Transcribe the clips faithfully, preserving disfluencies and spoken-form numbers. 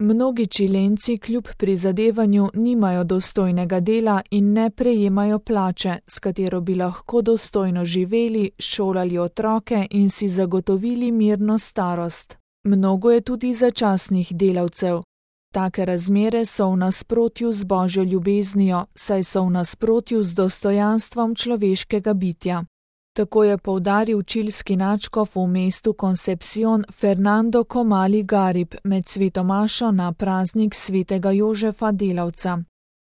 Mnogi Čilenci kljub prizadevanju nimajo dostojnega dela in ne prejemajo plače, s katero bi lahko dostojno živeli, šolali otroke in si zagotovili mirno starost. Mnogo je tudi začasnih delavcev. Take razmere so v nasprotju z Božjo ljubeznijo, saj so v nasprotju z dostojanstvom človeškega bitja. Tako je poudaril čilski nadškof v mestu Concepción Fernando Comali Garib med svetomašo na praznik svetega Jožefa Delavca.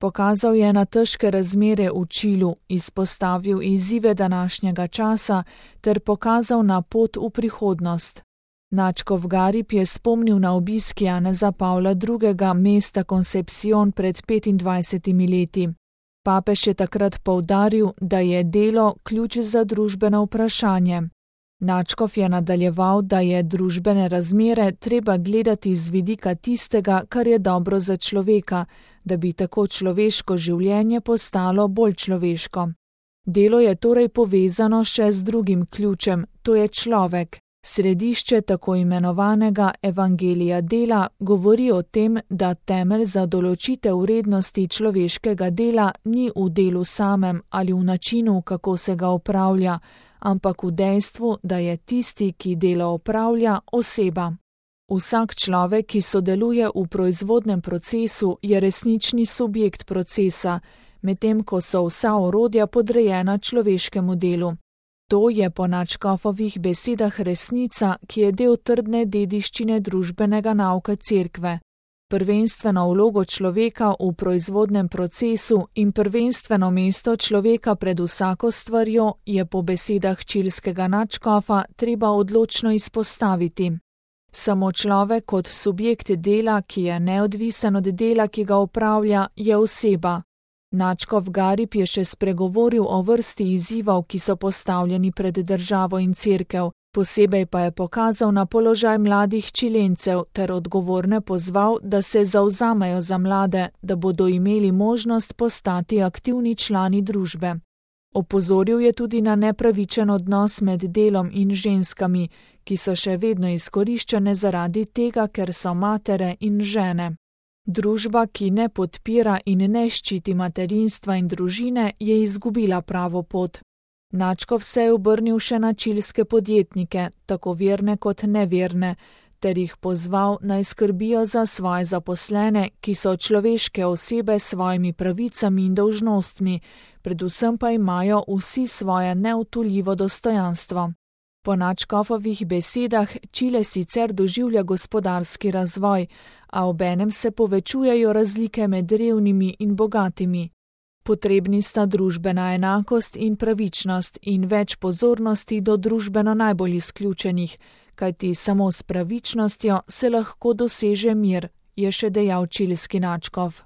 Pokazal je na težke razmere v Čilu, izpostavil izzive današnjega časa ter pokazal na pot v prihodnost. Nadškof Garib je spomnil na obisk Janeza Pavla drugega mesta Concepción pred petindvajsetimi leti. Papež je takrat poudaril, da je delo ključ za družbeno vprašanje. Nadškof je nadaljeval, da je družbene razmere treba gledati z vidika tistega, kar je dobro za človeka, da bi tako človeško življenje postalo bolj človeško. Delo je torej povezano še z drugim ključem, to je človek. Središče tako imenovanega evangelija dela govori o tem, da temelj za določitev vrednosti človeškega dela ni v delu samem ali v načinu, kako se ga opravlja, ampak v dejstvu, da je tisti, ki delo opravlja, oseba. Vsak človek, ki sodeluje v proizvodnem procesu, je resnični subjekt procesa, medtem ko so vsa orodja podrejena človeškemu delu. To je po nadškofovih besedah resnica, ki je del trdne dediščine družbenega nauka Cerkve. Prvenstveno vlogo človeka v proizvodnem procesu in prvenstveno mesto človeka pred vsako stvarjo je po besedah čilskega nadškofa treba odločno izpostaviti. Samo človek kot subjekt dela, ki je neodvisen od dela, ki ga opravlja, je oseba. Nadškof Garib je še spregovoril o vrsti izzivov, ki so postavljeni pred državo in cerkev, posebej pa je pokazal na položaj mladih Čilencev ter odgovorne pozval, da se zavzamejo za mlade, da bodo imeli možnost postati aktivni člani družbe. Opozoril je tudi na nepravičen odnos med delom in ženskami, ki so še vedno izkoriščane zaradi tega, ker so matere in žene. Družba, ki ne podpira in ne ščiti materinstva in družine, je izgubila pravo pot. Nadškof se je obrnil še na čilske podjetnike, tako verne kot neverne, ter jih pozval naj skrbijo za svoje zaposlene, ki so človeške osebe s svojimi pravicami in dolžnostmi, predvsem pa imajo vsi svoje neodtujljivo dostojanstvo. Po nadškofovih besedah Čile sicer doživlja gospodarski razvoj, a obenem se povečujejo razlike med revnimi in bogatimi. Potrebni sta družbena enakost in pravičnost in več pozornosti do družbeno najbolj izključenih, kajti samo s pravičnostjo se lahko doseže mir, je še dejal čilski nadškof.